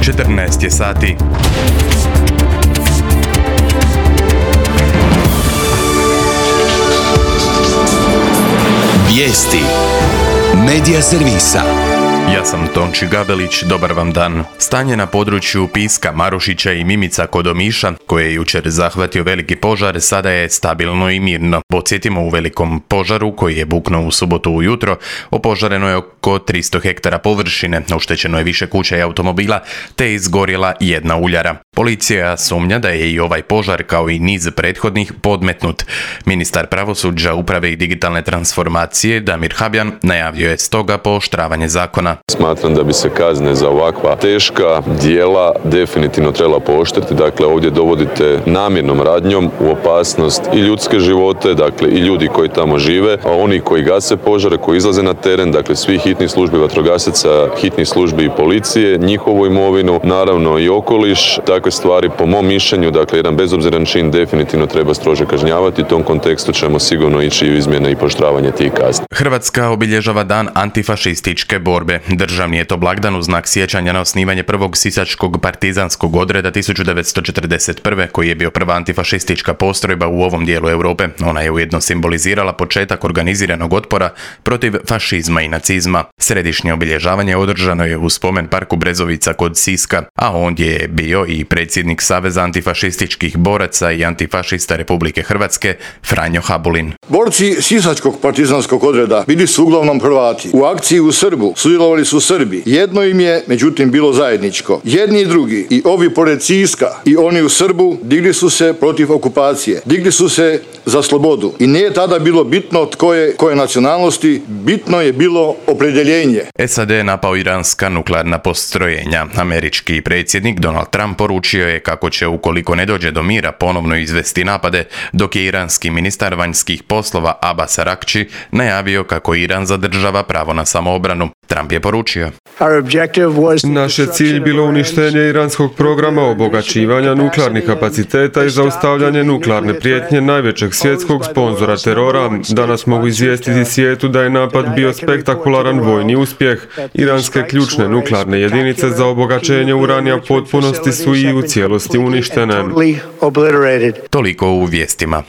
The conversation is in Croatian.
14 je sati. Vijesti Medija servisa. Ja sam Tonči Gabelić, dobar vam dan. Stanje na području Piska, Marušića i Mimica kod Omiša, koje je jučer zahvatio veliki požar, sada je stabilno i mirno. Podsjetimo, u velikom požaru koji je buknuo u subotu ujutro, opožareno je oko 300 hektara površine, oštećeno je više kuća i automobila, te je izgorjela jedna uljara. Policija sumnja da je i ovaj požar, kao i niz prethodnih, podmetnut. Ministar pravosuđa, uprave i digitalne transformacije Damir Habjan najavio je stoga pooštravanje zakona. Smatram da bi se kazne za ovakva teška djela definitivno trebala pooštriti. Dakle, ovdje dovodite namjernom radnjom u opasnost i ljudske živote, dakle i ljudi koji tamo žive, a oni koji gase požare, koji izlaze na teren, dakle svih hitnih službi, vatrogasaca, hitnih službi i policije, njihovu imovinu, naravno i okoliš. Takve stvari, po mom mišljenju, dakle jedan bezobziran čin definitivno treba strože kažnjavati. U tom kontekstu ćemo sigurno ići u izmjene i pooštravanje tih kazni. Hrvatska obilježava dan antifašističke borbe. Državni je to blagdan u znak sjećanja na osnivanje prvog sisačkog partizanskog odreda 1941. koji je bio prva antifašistička postrojba u ovom dijelu Europe. Ona je ujedno simbolizirala početak organiziranog otpora protiv fašizma i nacizma. Središnje obilježavanje održano je u spomen parku Brezovica kod Siska, a ondje je bio i predsjednik Saveza antifašističkih boraca i antifašista Republike Hrvatske Franjo Habulin. Borci sisačkog partizanskog odreda bili su uglavnom Hrvati. U akciji u Srbu sudjelovali su Srbi. Jedno im je, međutim, bilo zajedničko. Jedni i drugi, i ovi pored Siska i oni u Srbu, digli su se protiv okupacije. Digli su se za slobodu. I nije tada bilo bitno tko je koje nacionalnosti, bitno je bilo opredjeljenje. SAD je napao iranska nuklearna postrojenja. Američki predsjednik Donald Trump poručio je kako će, ukoliko ne dođe do mira, ponovno izvesti napade, dok je iranski ministar vanjskih poslova Abbas Araghči najavio kako Iran zadržava pravo na samoobranu. Trump je poručio: naš je cilj bilo uništenje iranskog programa obogaćivanja nuklearnih kapaciteta i zaustavljanje nuklearne prijetnje najvećeg svjetskog sponzora terora. Danas mogu izvijestiti svijetu da je napad bio spektakularan vojni uspjeh. Iranske ključne nuklearne jedinice za obogaćenje uranija potpunosti su i u cijelosti uništene. Toliko u vijestima.